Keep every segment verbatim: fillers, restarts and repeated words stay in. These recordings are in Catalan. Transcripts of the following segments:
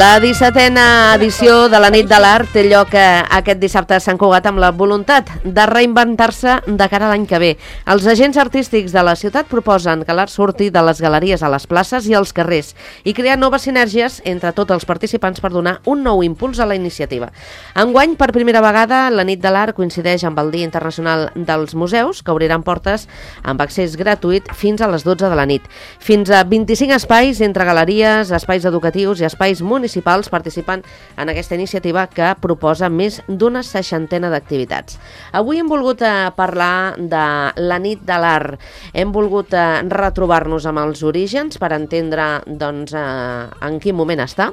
La dissetena edició de la Nit de l'Art té lloc aquest dissabte a Sant Cugat amb la voluntat de reinventar-se de cara a l'any que ve. Els agents artístics de la ciutat proposen que l'art surti de les galeries a les places i als carrers i crear noves sinergies entre tots els participants per donar un nou impuls a la iniciativa. Enguany, per primera vegada, la Nit de l'Art coincideix amb el Dia Internacional dels Museus, que obriran portes amb accés gratuït fins a les dotze de la nit. Fins a vint-i-cinc espais entre galeries, espais educatius i espais municipals municipals participen en aquesta iniciativa que proposa més d'una seixantena d'activitats. Avui hem volgut eh, parlar de la Nit de l'Art. Hem volgut eh, retrobar-nos amb els orígens per entendre doncs, eh, en quin moment està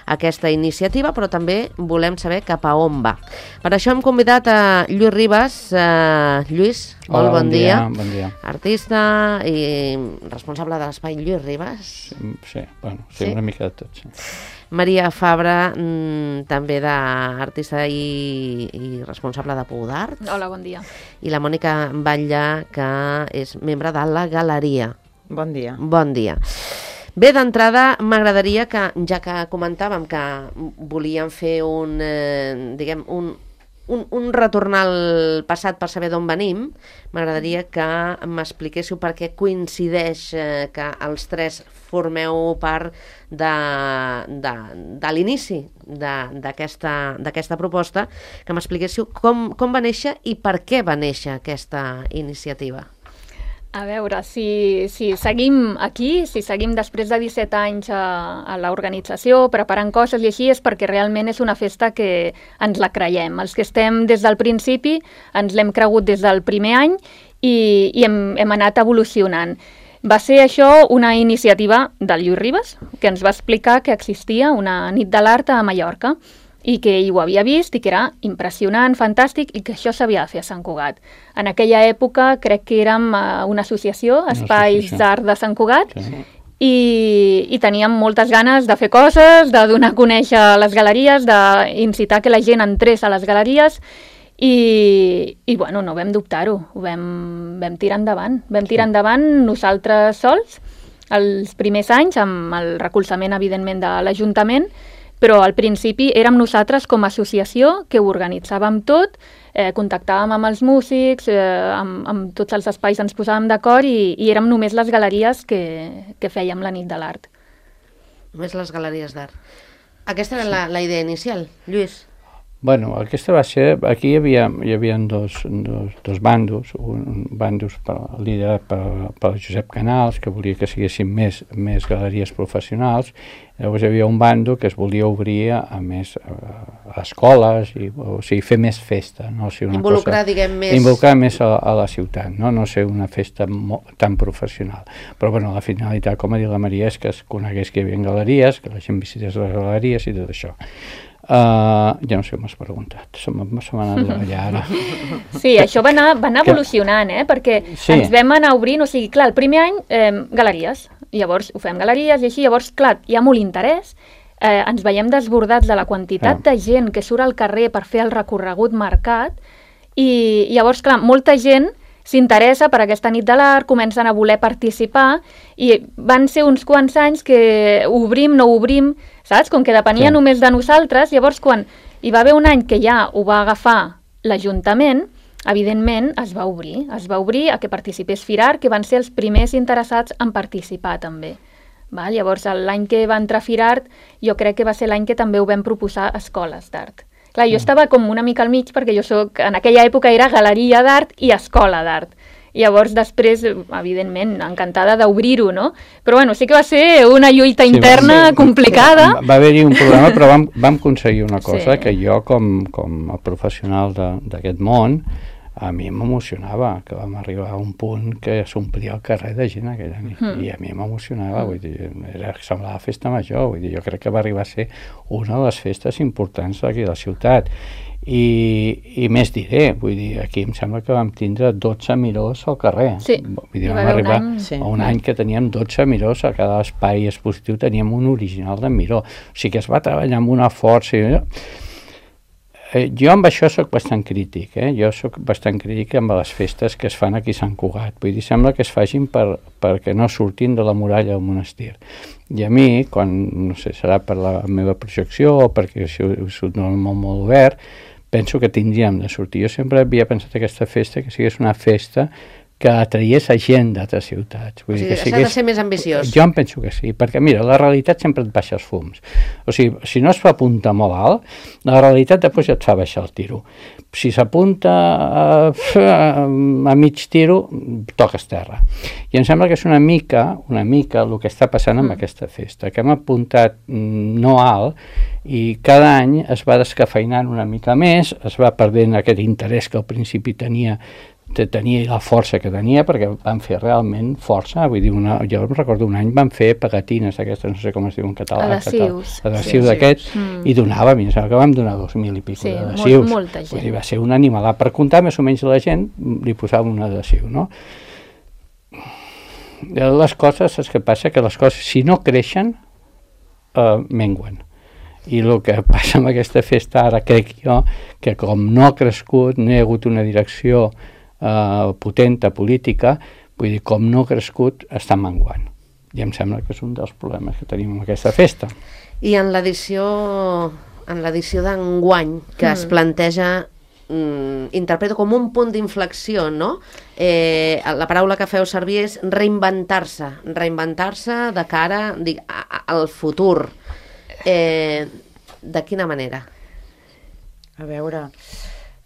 aquesta iniciativa, però també volem saber cap a on va. Per això hem convidat a Lluís Ribas. Eh, Lluís, Hola, molt bon, bon dia. dia. Bon dia. Artista i responsable de l'espai Lluís Ribas. Sí, sí, bueno, sí, sí? Una mica de tot, sí. Maria Fabra, mmm, també d'artista i, i responsable de Pou d'Art. Hola, bon dia. I la Mònica Batlle, que és membre de la Galeria. Bon dia. Bon dia. Bé, d'entrada m'agradaria que, ja que comentàvem que volíem fer un, eh, diguem, un, un, un retorn al passat per saber d'on venim, m'agradaria que m'expliquéssiu per què coincideix eh, que els tres formeu part de, de, de l'inici d'aquesta proposta, que m'expliquéssiu com, com va néixer i per què va néixer aquesta iniciativa. A veure, si, si seguim aquí, si seguim després de disset anys a, a l'organització, preparant coses i així, és perquè realment és una festa que ens la creiem. Els que estem des del principi ens l'hem cregut des del primer any i, i hem, hem anat evolucionant. Va ser això una iniciativa del Lluís Ribas, que ens va explicar que existia una nit de l'art a Mallorca i que ell ho havia vist i que era impressionant, fantàstic, i que això s'havia de fer a Sant Cugat. En aquella època crec que érem una associació, Espais d'Art de Sant Cugat, sí. i, i teníem moltes ganes de fer coses, de donar a conèixer les galeries, d'incitar que la gent entrés a les galeries, i, i bueno, no vam dubtar-ho, vam, vam tirar endavant. Vam tirar endavant nosaltres sols, els primers anys, amb el recolzament, evidentment, de l'Ajuntament, però al principi érem nosaltres com a associació que ho organitzàvem tot, eh, contactàvem amb els músics, eh, amb, amb tots els espais ens posàvem d'acord i, i érem només les galeries que, que fèiem la nit de l'art. Només les galeries d'art. Aquesta era sí. la, la idea inicial, Lluís? Bueno, aquesta va ser... Aquí hi havia, hi havia dos, dos, dos bandos, un bandos per, liderat per, per Josep Canals, que volia que siguessin més, més galeries professionals. Llavors hi havia un bando que es volia obrir a més a, a escoles, i, o sigui, fer més festa. No? O sigui, una involucrar, cosa, diguem, més... Involucrar més a, a la ciutat, no? No ser una festa molt, tan professional. Però bueno, la finalitat, com ha dit la Maria, és que es conegués que hi havia galeries, que la gent visités les galeries i tot això. Uh, ja no sé com m'has preguntat, se m'ha anat d'allà ara. Sí, això va anar, va anar evolucionant, eh? Perquè sí. ens vam anar obrint, o sigui, clar, el primer any, eh, galeries, llavors ho fem galeries i així, llavors, clar, hi ha molt interès, eh, ens veiem desbordats de la quantitat ah. de gent que surt al carrer per fer el recorregut marcat, i llavors, clar, molta gent s'interessa per aquesta nit de l'art, comencen a voler participar, i van ser uns quants anys que obrim, no obrim, saps? Com que depenia sí. només de nosaltres, llavors quan hi va haver un any que ja ho va agafar l'Ajuntament, evidentment es va obrir, es va obrir a que participés Firar, que van ser els primers interessats en participar també. Val? Llavors l'any que va entrar Firar, jo crec que va ser l'any que també ho vam proposar a escoles d'art. Clar, jo estava com una mica al mig perquè jo soc, en aquella època era galeria d'art i escola d'art. Llavors, després, evidentment, encantada d'obrir-ho, no? Però, bueno, sí que va ser una lluita interna sí, ser, complicada. Va haver-hi un problema, però vam, vam aconseguir una cosa, sí. que jo, com, com a professional d'aquest món, a mi m'emocionava, que vam arribar a un punt que s'omplia el carrer de gent aquella nit, mm. i a mi m'emocionava, mm. vull dir, era, semblava festa major, vull dir, jo crec que va arribar a ser una de les festes importants d'aquí de la ciutat, i, i més diré, vull dir, aquí em sembla que vam tindre dotze mirós al carrer, sí. vull dir, vam arribar un any, sí. a un any que teníem dotze mirós, a cada espai expositiu teníem un original de miró, o sigui que es va treballar amb una força, i Eh, jo amb això sóc bastant crític, eh? jo sóc bastant crític amb les festes que es fan aquí a Sant Cugat, vull dir, sembla que es facin per, perquè no surtin de la muralla del monestir. I a mi, quan, no sé, serà per la meva projecció o perquè si és un món molt obert, penso que tindríem de sortir. Jo sempre havia pensat aquesta festa que sigués una festa que atraiés a gent d'altres ciutats. Vull o sigui, dir que s'ha sigués... de ser més ambiciós. Jo em penso que sí, perquè mira, la realitat sempre et baixa els fums. O sigui, si no es fa apunta molt alt, la realitat després et fa baixar el tiro. Si s'apunta a, a mig tiro, toques terra. I em sembla que és una mica, una mica el que està passant amb mm. aquesta festa, que hem apuntat no alt, i cada any es va descafeinant una mica més, es va perdent aquest interès que al principi tenia tenia la força que tenia, perquè van fer realment força, vull dir, una, jo recordo un any van fer pegatines aquestes, no sé com es diu en català, adhesius, adhesius sí, d'aquests, mm. i donava, a mi em sembla que vam donar dos mil i pico sí, d'adhesius, molt, molta gent. Vull dir, va ser un animalà, per comptar més o menys la gent li posava un adhesiu, no? Les coses, és que passa que les coses, si no creixen, eh, menguen. I el que passa amb aquesta festa ara, crec jo, que com no ha crescut, no hi ha hagut una direcció Uh, potenta política, vull dir, com no ha crescut, està menguant. I em sembla que és un dels problemes que tenim amb aquesta festa. I en l'edició en l'edició d'enguany, que mm. es planteja, mm, interpreto com un punt d'inflexió, no? Eh, la paraula que feu servir és reinventar-se, reinventar-se de cara dic, a, a, al futur. Eh, de quina manera? A veure,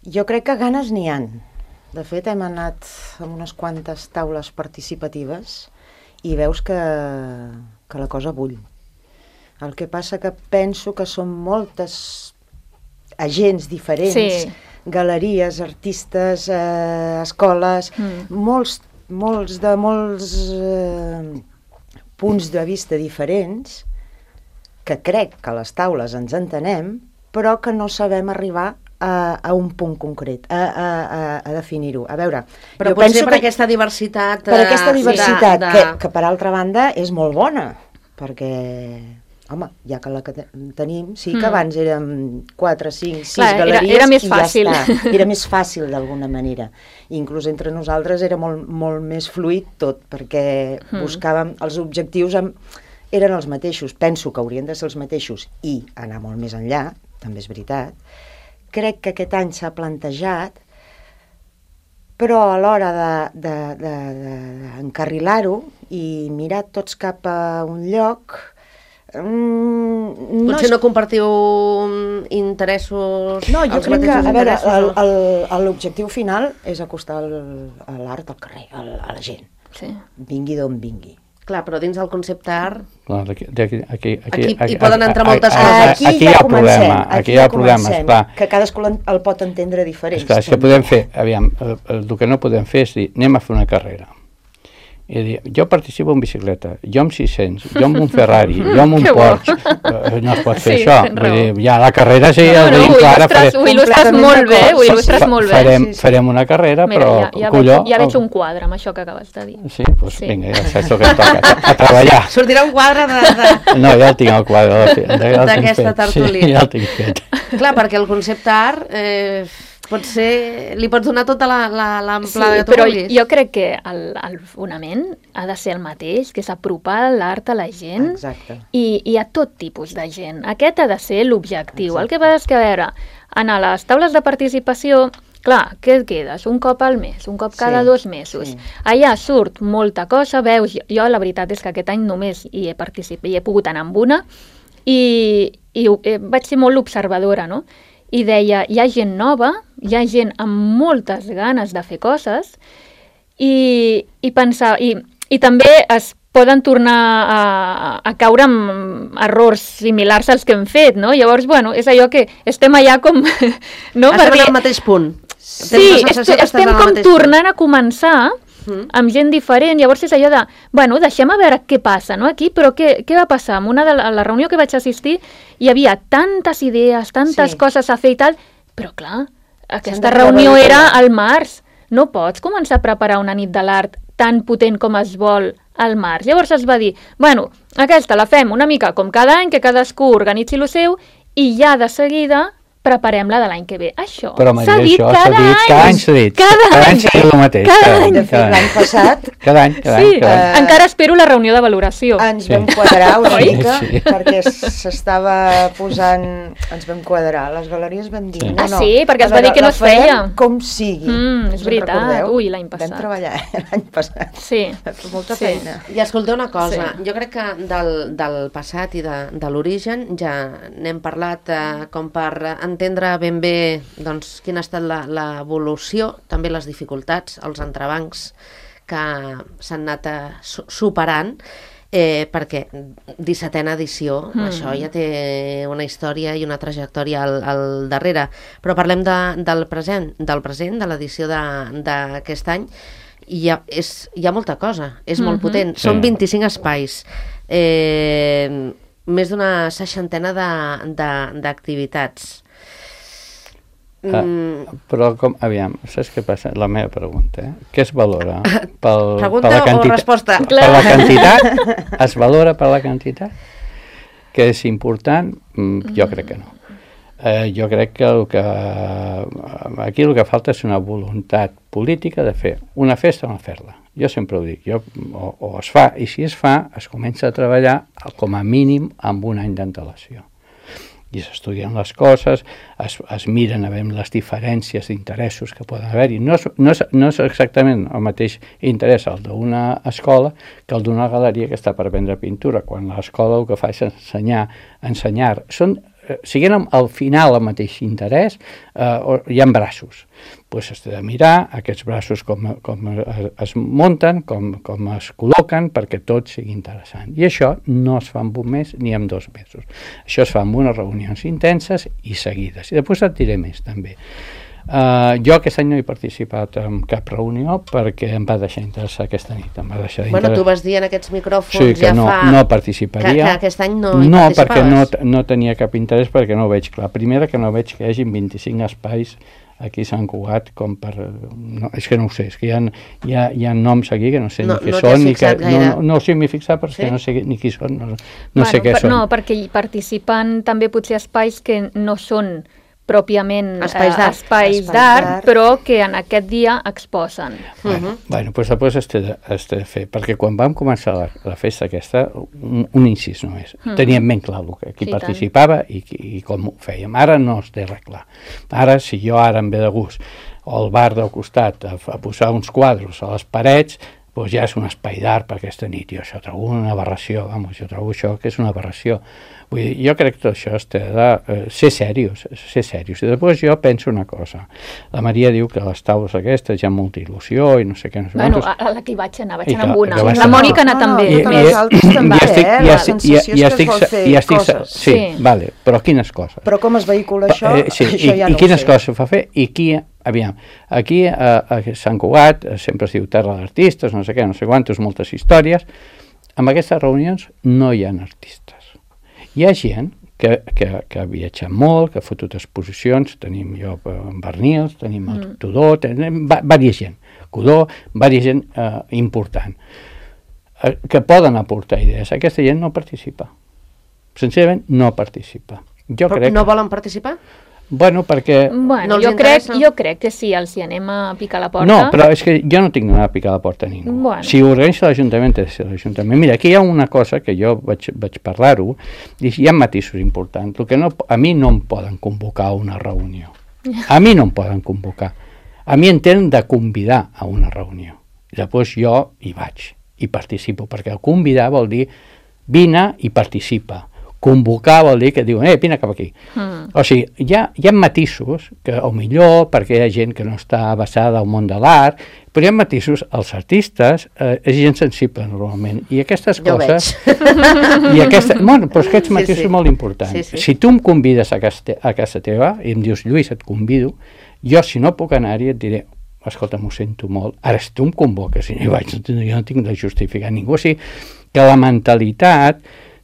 jo crec que ganes n'hi han. De fet, hem anat amb unes quantes taules participatives i veus que, que la cosa bull. El que passa que penso que són moltes agents diferents, sí. galeries, artistes, eh, escoles, mm. molts, molts de molts eh, punts de vista diferents, que crec que a les taules ens entenem, però que no sabem arribar A, a un punt concret, a, a, a, a definir-ho. A veure, però potser per que, aquesta diversitat... Per aquesta diversitat, de, de... Que, que per altra banda és molt bona, perquè, home, ja que la que tenim, sí que mm. abans érem quatre, cinc, sis Clar, galeries era, era més i fàcil. Ja està. Era més fàcil d'alguna manera. Inclús entre nosaltres era molt, molt més fluid tot, perquè mm. buscàvem els objectius, amb, eren els mateixos. Penso que haurien de ser els mateixos i anar molt més enllà, també és veritat. Crec que aquest any s'ha plantejat, però a l'hora d'encarrilar-ho de, de, de, i mirar tots cap a un lloc... Mm, Potser no, és... no compartiu interessos... No, jo crec que, a veure, l'objectiu final és acostar l'art al carrer, a la gent. Sí. Vingui d'on vingui. Clar, però dins el concepte art... Clar, aquí, aquí, aquí, aquí, aquí hi poden entrar moltes aquí, coses. Aquí, aquí ja hi ha comencem, problema, aquí, aquí hi ha ja problemes, comencem, clar. Que cadascú el pot entendre diferent. Esclar, és que podem fer, aviam, el, el, el que no podem fer és dir, anem a fer una carrera. I dir, jo participo en bicicleta, jo amb sis-cents, jo amb un Ferrari, jo amb un Porsche. No es pot fer sí, això. Vull dir, ja la carrera sí, no, el tenim no, clara. Ho il·lustres molt bé, ho il·lustres molt bé. Farem, sí, sí. farem una carrera, Mira, però ja, ja colló... Veig, ja veig un quadre amb això que acabes de dir. Sí, doncs sí. Vinga, ja saps el que toca, a, a treballar. Sortirà un quadre de... de... No, ja el tinc el quadre. D'aquesta tertúlia. Sí, ja el tinc fet. Clar, perquè el concepte art... Eh... Pot ser, li pots donar tota l'amplada sí, que tu però vulguis. Jo crec que el, el fonament ha de ser el mateix, que és apropar l'art a la gent i, i a tot tipus de gent. Aquest ha de ser l'objectiu. El que passa és que, a veure, en les taules de participació, clar, què et quedes? Un cop al mes, un cop cada sí, dos mesos. Sí. Allà surt molta cosa, veus, jo la veritat és que aquest any només hi he participat, hi he pogut anar amb una i, i eh, vaig ser molt observadora, no? I deia, hi ha gent nova, hi ha gent amb moltes ganes de fer coses i, i pensar, i, i també es poden tornar a, a caure en errors similars als que hem fet, no? Llavors, bueno, és allò que estem allà com... no? Estem en el mateix punt. Sí, estem com tornant a començar amb gent diferent, llavors és allò de, bueno, deixem a veure què passa, no, aquí, però què, què va passar? En una de la, la reunió que vaig assistir hi havia tantes idees, tantes sí. coses a fer i tal, però clar, aquesta reunió era al març, no pots començar a preparar una nit de l'art tan potent com es vol al març. Llavors es va dir, bueno, aquesta la fem una mica com cada any, que cadascú organitzi el seu, i ja de seguida preparem-la de l'any que ve. Això s'ha dit cada any. Cada any s'ha dit. Cada any s'ha dit el mateix. Cada any. De fet, l'any passat... Cada any, cada any. Encara espero la reunió de valoració. Ens vam quadrar una mica, perquè s'estava posant... Ens vam quadrar. Les galeries vam dir... Ah, sí? Perquè es va dir que no es feia. Com sigui. És veritat. Ui, l'any passat. Vam treballar l'any passat. Sí. Molta feina. I escolteu una cosa. Jo crec que del passat i de l'origen ja n'hem parlat com per entendre ben bé doncs, quina ha estat l'evolució, també les dificultats, els entrebancs que s'han anat superant, eh, perquè dissetena edició, mm. això ja té una història i una trajectòria al, al darrere. Però parlem de, del present, del present, de l'edició d'aquest any, i hi ha, és, hi ha molta cosa, és mm-hmm. molt potent. Sí. Són vint-i-cinc espais, eh, més d'una seixantena d'activitats. Mm. Uh, però, com, aviam, saps què passa? La meva pregunta, eh? Què es valora? Pel, pregunta per la quantitat, o resposta? Per la quantitat? Es valora per la quantitat? Que és important? Mm, jo crec que no. Eh, jo crec que, el que aquí el que falta és una voluntat política de fer una festa o no fer-la. Jo sempre ho dic, jo, o, o es fa, i si es fa, es comença a treballar com a mínim amb un any d'antelació. I s'estudien les coses, es, es miren a veure les diferències d'interessos que poden haver-hi. No, no, no és exactament el mateix interès el d'una escola que el d'una galeria que està per vendre pintura, quan l'escola el que fa és ensenyar. ensenyar. Són, siguin al final el mateix interès, eh, hi ha braços. Pues has de mirar aquests braços com, com es munten, com, com es col·loquen, perquè tot sigui interessant. I això no es fa en un mes ni en dos mesos. Això es fa en unes reunions intenses i seguides. I després et diré més, també. Uh, jo aquest any no he participat en cap reunió perquè em va deixar interessar aquesta nit. Em va deixar bueno, tu vas dir en aquests micròfons sí, que ja no, fa... no participaria. Que, que aquest any no hi no, participaves. Perquè no, no tenia cap interès, perquè no ho veig clar. Primera, que no veig que hi hagi vint-i-cinc espais aquí a Sant Cugat com per... No, és que no ho sé, és que hi ha, hi ha, hi ha noms aquí que no sé no, ni què no són. Ni que, no, no, no sé, m'he fixat perquè sí? no sé ni qui són, no, no bueno, sé què per, són. No, perquè hi participen també potser espais que no són pròpiament espais d'art, eh, espais d'art, però que en aquest dia exposen. Bueno, uh-huh. bueno doncs després has de, has de fer, perquè quan vam començar la, la festa aquesta, un, un incís només, uh-huh. teníem ben clar el que, qui sí, participava i, i com ho fèiem. Ara no es té res clar. Ara, si jo ara em ve de gust al bar del costat a, a posar uns quadros a les parets, doncs ja és un espai d'art per aquesta nit. Jo això trobo una aberració, vamos, jo trobo això que és una aberració. Vull dir, jo crec que tot això es té de uh, ser serios, ser serios. I després jo penso una cosa. La Maria diu que les taules aquestes hi ha molta il·lusió i no sé què. No sé bueno, quantos... a la que hi vaig anar, vaig anar que, amb una. La Mònica ha anat també. No, no, les altres també, eh? La sensació és que es vol fer coses. Sí, vale, però quines coses? Però com es vehicula això, eh, sí, això i, ja no i quines ho sé. coses fa fer i qui... Aviam, aquí a, a Sant Cugat sempre es diu terra d'artistes, no sé què, no sé quantos, moltes històries. En aquestes reunions no hi ha artistes. Hi ha gent que, que, que ha viatjat molt, que ha fotut exposicions, tenim jo en Bernils, tenim el mm. Tudó, tenim vària gent, Codó, vària gent eh, important, eh, que poden aportar idees. Aquesta gent no participa. Sincerament, no participa. Jo Però crec no volen participar? Bueno, perquè... Bueno, no jo, crec, jo crec que sí, els hi anem a picar la porta. No, però és que jo no tinc d'anar a picar la porta a ningú. Bueno. Si ho organitza l'Ajuntament, és l'Ajuntament. Mira, aquí hi ha una cosa que jo vaig, vaig parlar-ho, i hi ha matisos importants. El que no, a mi no em poden convocar a una reunió. A mi no em poden convocar. A mi em tenen de convidar a una reunió. I després jo hi vaig, i participo, perquè el convidar vol dir vine i participa. Convocar vol dir que diuen, eh, vine cap aquí. Mm. O sigui, hi ha, hi ha matisos, que o millor, perquè hi ha gent que no està basada al món de l'art, però hi ha matisos, els artistes, eh, és gent sensible normalment, i aquestes jo coses... veig. I aquesta, bueno, però aquests matisos sí, sí. són molt importants. Sí, sí. Si tu em convides a casa, a casa teva, i em dius, Lluís, et convido, Jo, si no puc anar-hi, et diré, escolta, m'ho sento molt, ara si tu em convoques i jo, vaig, jo no tinc de justificar ningú, o sigui que la mentalitat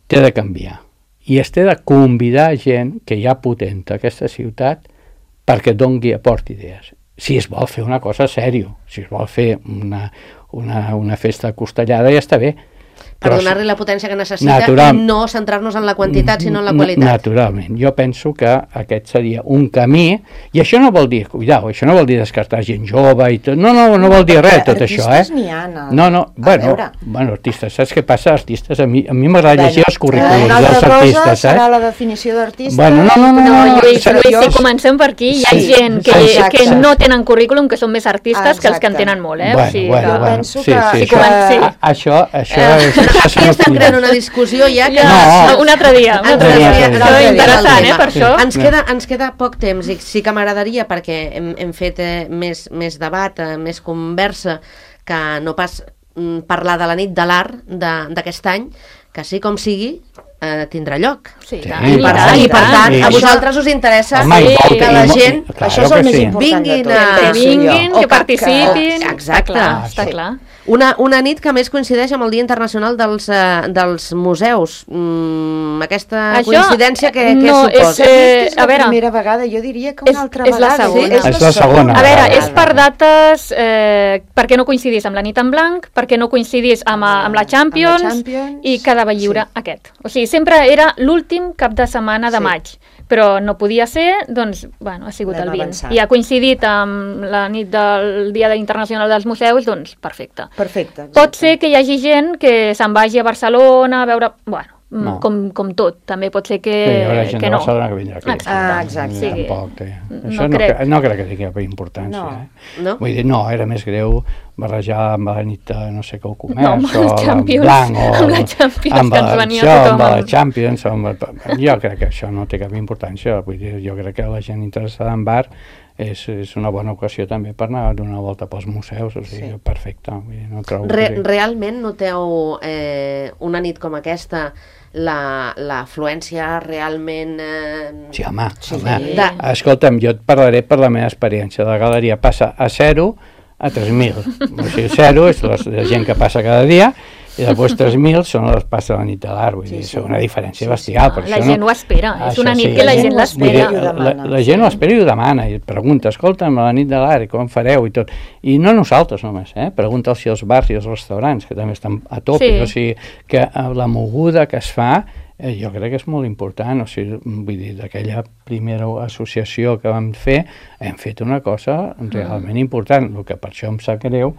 té de canviar i es té de convidar gent que hi ha potent a aquesta ciutat perquè et doni, aporti idees. Si es vol fer una cosa sèrio, si es vol fer una, una, una festa costellada, ja està bé. Per Però donar-li la potència que necessita natural, i no centrar-nos en la quantitat, sinó en la qualitat. Naturalment. Jo penso que aquest seria un camí, i això no vol dir, cuidao, això no vol dir descartar gent jove i tot, no, no, no vol dir res tot això, eh? Artistes n'hi ha, no? No, no, bueno, bueno, artistes, saps què passa? Artistes, a mi a mi m'agrada llegir els currículums dels artistes, saps? Serà la definició d'artista. Bueno, no, no, no, No, no, Lluís, no, Lluís, no, si comencem per aquí, hi ha sí, gent que, exacte. que no tenen currículum, que són més artistes que els que en Exacte. tenen molt, eh? Bueno, o sigui, bueno, que... Jo bueno, penso sí, que- sí, Si això, comenci- a- això, això Eh, és... això Aquí són estem opinions. creant una discussió ja que... Ja, No. un altre dia, un Ens altre dia. desvia- Això ens Això és desvia interessant, del eh, tema. per això. Ens queda, ens queda poc temps i sí que m'agradaria, perquè hem, hem fet eh, més, més debat, eh, més conversa, que no pas mm, parlar de la nit de l'art de- d'aquest any, que sí com sigui, eh, tindrà lloc. Sí, Sí, tant, I per, tant, i per tant, Sí. a vosaltres us interessa Home, i Sí, molt, que i la molt- gent... claro Això és el que més sí. important de Vinguin tot. a- Que penso jo. vinguin, O que participin. Exacte. Està clar, Ah, està sí. clar. Una, una nit que a més coincideix amb el Dia Internacional dels, eh, dels Museus. Mm, aquesta Això, coincidència que, què no, és, suposa? eh, És la a veure, primera vegada, jo diria que una és- altra és la vegada. segona. És la segona A veure, vegada. és per dates, eh, perquè no coincidís amb la nit en blanc, perquè no coincidís amb, a- amb la Champions, Amb la Champions, i quedava lliure sí. aquest. O sigui, sempre era l'últim cap de setmana de Sí. maig, però no podia ser, doncs, bueno, ha sigut L'hem el vint. avançat. I ha coincidit amb la nit del Dia Internacional dels Museus, doncs, perfecte. Perfecte. exacte. Pot ser que hi hagi gent que se'n vagi a Barcelona a veure... Bueno, No. com, com tot. També pot ser que, Sí, hi haurà gent que de no. Barcelona que vindrà aquí. Exacte. Ah, exacte. Sí. Tampoc té. No Això no, crec. crec. no crec que tingui cap importància. No. Eh? No? Vull dir, no, era més greu barrejar amb la nit de no sé què ho comerç, No, amb o el amb Champions, blanc, o amb la Champions, amb que ens la- venia això, tothom amb la amb- Champions, o amb el, jo crec que això no té cap importància. Vull dir, jo crec que la gent interessada en bar és, és una bona ocasió també per anar a donar una volta pels museus, o sigui, Sí. perfecte. Vull dir, no trobo Re, que- realment noteu eh, una nit com aquesta la, l'afluència realment... Eh, Sí, home, Sí. home. De- Escolta'm, jo et parlaré per la meva experiència. La galeria passa a zero a tres mil. O sigui, zero és la, la gent que passa cada dia, i després tres mil són les passa a la nit de l'art. Vull dir, Sí, sí. és una diferència Sí, sí. bestial. Per La això gent no... ho espera, és Això una nit sí. que la La gent gent ho espera. l'espera. Vull dir, I ho la, demana. la gent ho espera i ho demana, i et pregunta, escolta'm, a la nit de l'art, i com fareu i tot. I no nosaltres només, eh? Pregunta si els bars i els restaurants, que també estan a tope. Sí. O sigui, que eh, la moguda que es fa, eh, jo crec que és molt important. O sigui, vull dir, d'aquella primera associació que vam fer, hem fet una cosa realment important. El que per això em sap greu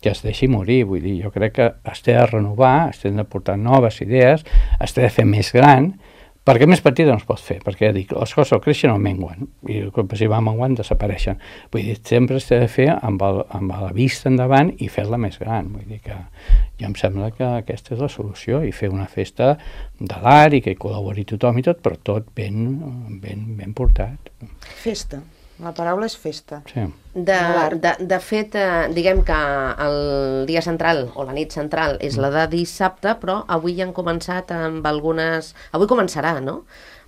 que es deixi morir, vull dir, jo crec que es té de renovar, es té de portar noves idees, es té de fer més gran, perquè més petita no es pot fer, perquè dic, les coses creixen o menguen, i si van menguant desapareixen. Vull dir, sempre es té de fer amb, el, amb la vista endavant i fer-la més gran. Vull dir que jo em sembla que aquesta és la solució, i fer una festa de l'art i que hi col·labori tothom i tot, però tot ben, ben, ben portat. Festa. La paraula és festa. Sí. De, l'art. de, de fet, eh, diguem que el dia central o la nit central és la de dissabte, però avui han començat amb algunes... Avui començarà, no?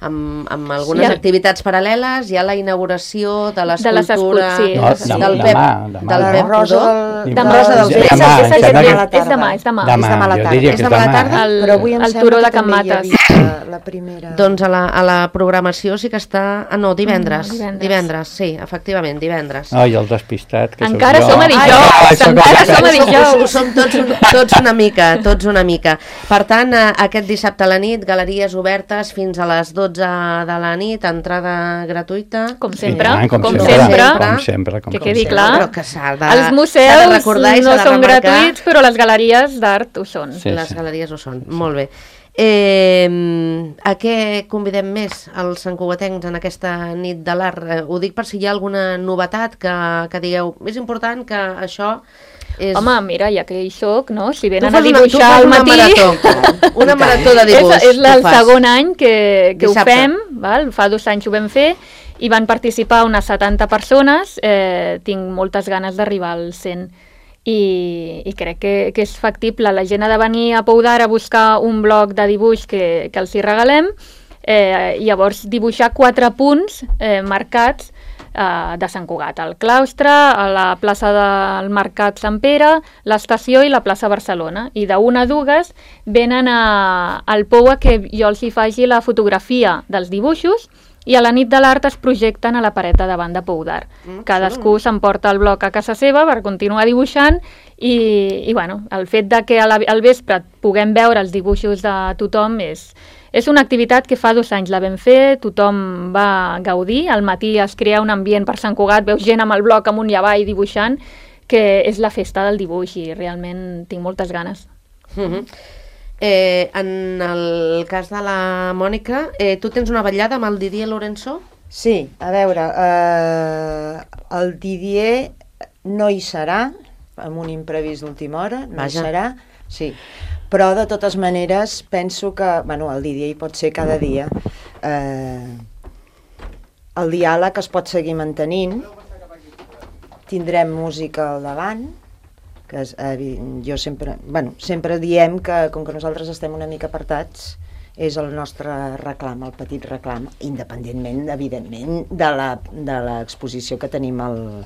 Amb, amb algunes Sí. activitats paral·leles. Hi ha la inauguració de De les l'escultura escultures, sí. No, Sí. demà, del Pep, demà, demà, del no? Pep Rosa Rodó. del... Demà. Rosa dels Demà, Vents. em sembla que- és demà, és demà. Demà, És demà a la jo tarda. diria És que és demà a la demà. tarda? El- Però avui em el sembla turó que de també hi Can havia la, la primera... Doncs a la, a la programació sí que està... Ah, no, divendres. Mm, divendres. divendres, sí, efectivament, divendres. Ai, el despistat, que Encara sóc jo. som a dijous, Ai, sóc encara el- som a Ho dijous. Ho som tots, un- tots una mica, tots una mica. Per tant, eh, aquest dissabte a la nit, galeries obertes fins a les dotze de la nit, entrada gratuïta. Com Sí, sempre, tant, com, sempre, sempre. com sempre, com Que sempre. quedi clar. Però que s'ha de, Els s'ha museus de recordar i no s'ha de són remarcar. gratuïts, però les galeries d'art ho són. Sí, Les sí. galeries ho són, molt bé. Eh, a què convidem més els santcugatencs en aquesta nit de l'art? Eh, ho dic per si hi ha alguna novetat que, que digueu, és important que això és... Home, mira, ja que hi soc, no? Si Tu venen fas a una- tu dibuixar fas al una matí... marató, una marató de dibuix. És, és el tu fas. segon any que, que ho Dissabte. fem, val? Fa dos anys ho vam fer, i van participar unes setanta persones, eh, tinc moltes ganes d'arribar al cent. I, i crec que, que és factible. La gent ha de venir a Pou d'Art a buscar un bloc de dibuix que, que els hi regalem, eh, i llavors dibuixar quatre punts eh, marcats eh, de Sant Cugat, el claustre, a la plaça del Mercat Sant Pere, l'estació i la plaça Barcelona. I d'una a dues venen a, al pou a que jo els hi faci la fotografia dels dibuixos i a la nit de l'art es projecten a la paret de davant de Pou d'Art. Mm, Cadascú s'emporta el bloc a casa seva per continuar dibuixant i, i bueno, el fet de que a la, al vespre puguem veure els dibuixos de tothom és, és una activitat que fa dos anys la vam fer, tothom va gaudir, al matí es crea un ambient per Sant Cugat, veus gent amb el bloc amunt i avall dibuixant, que és la festa del dibuix i realment tinc moltes ganes. Mm-hmm. Eh, en el cas de la Mònica, eh, tu tens una vetllada amb el Didier Lorenzo? Sí, a veure, eh, el Didier no hi serà, amb un imprevist d'última hora, no Vaja. hi serà, sí. Però de totes maneres penso que, bueno, el Didier hi pot ser cada dia. Eh, el diàleg es pot seguir mantenint, tindrem música al davant, que és, eh, jo sempre, bueno, sempre diem que com que nosaltres estem una mica apartats és el nostre reclam, el petit reclam, independentment, evidentment, de l'exposició que tenim al,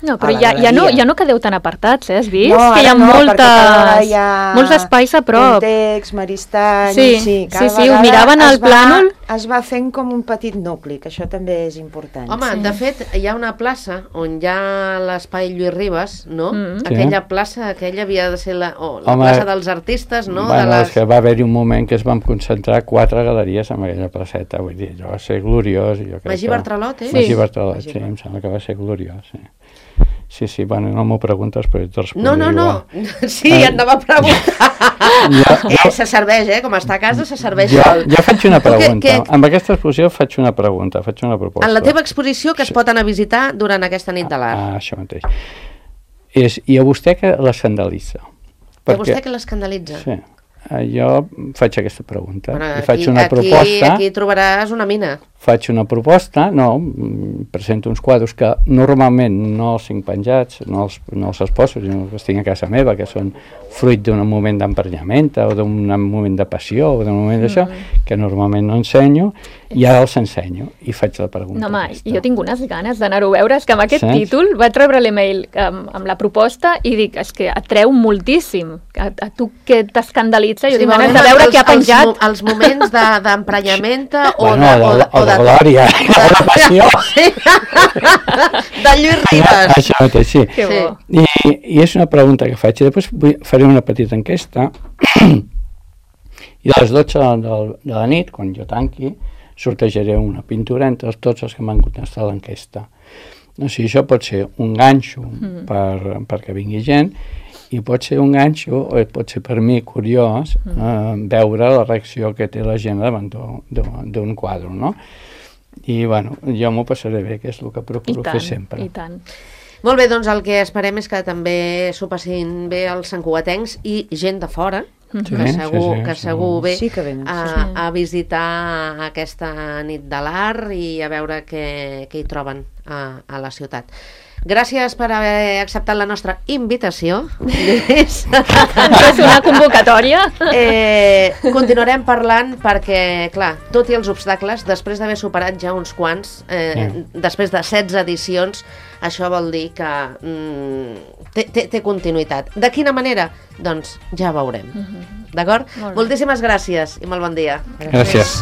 no, però ja, ja, no, ja no quedeu tan apartats, eh? Has vist? No, que hi ha, no, moltes, hi ha molts espais a prop. Context, Maristany... Sí, sí, sí, sí, ho miraven al plànol. Es va fent com un petit nucli, que això també és important. Home, Sí. de fet, hi ha una plaça on hi ha l'espai Lluís Ribes, no? Mm. Aquella Sí. plaça, aquella havia de ser la, oh, la Home, plaça dels artistes, no? Bueno, de les... és que va haver-hi un moment que es van concentrar quatre galeries en aquella placeta, vull dir, allò va ser gloriós. Jo crec Magí que... Bartralot, eh? Sí. Magí Bartralot, Magí sí, em sembla que va ser gloriós, sí. Sí, sí, bueno, no m'ho preguntes, però et respondré No, no, no. igual. Sí, Eh, et anava a preguntar. Jo, Eh, se serveix, eh? Com està a casa, se serveix jo, sol. jo faig una Tu què- pregunta. què- Amb aquesta exposició faig una pregunta, faig una proposta. En la teva exposició que es pot anar a visitar durant aquesta nit de l'art. Ah, això mateix. És, I a vostè que l'escandalitza? Que vostè que l'escandalitza? Sí. Eh, Jo faig aquesta pregunta. Bueno, I faig aquí, una aquí, proposta... aquí trobaràs una mina. Faig una proposta, no, mm, presento uns quadres que normalment no els tinc penjats, no els, no els exposo, sinó que els tinc a casa meva, que són fruit d'un moment d'emprenyament o d'un moment de passió o d'un moment d'això, Mm. que normalment no ensenyo, i ara els ensenyo i faig la pregunta. No, home, aquesta. jo tinc unes ganes d'anar-ho a veure. És que amb aquest Saps? títol vaig rebre l'email amb, amb la proposta i dic, és que atreu moltíssim. A, a tu que t'escandalitza, jo Sí, tinc ganes veurem de veure els- què ha penjat. Els, mo- els moments de- d'emprenyament de, o, Bueno, de, o de, o de, de, glòria, o de passió. Sí. De Lluís Ribes. Això mateix, sí. Que Sí. bo. I, I és una pregunta que faig, i després vull, faré una petita enquesta, i a les dotze de, de la nit, quan jo tanqui, sortejaré una pintura entre tots els que m'han contestat l'enquesta. O sigui, això pot ser un ganxo Mm. per, perquè vingui gent, i pot ser un ganxo, o pot ser per mi curiós, eh, veure la reacció que té la gent davant d'un- d'un d'un quadre, no? I, bueno, jo m'ho passaré bé, que és el que I procuro tant, fer sempre. i tant. Molt bé, doncs el que esperem és que també s'ho passin bé els santcugatencs i gent de fora, Sí, que segur, sí, sí, que sí. segur ve Sí que venen, sí, a, sí. a visitar aquesta nit de l'art i a veure què, què hi troben a, a la ciutat. Gràcies per haver acceptat la nostra invitació, Lluís. És una convocatòria. Eh, continuarem parlant perquè, clar, tot i els obstacles, després d'haver superat ja uns quants, eh, Sí. després de setze edicions, això vol dir que mm, té, té, té continuïtat. De quina manera? Doncs ja veurem. D'acord? Molt bé. Moltíssimes gràcies i molt bon dia. Gràcies.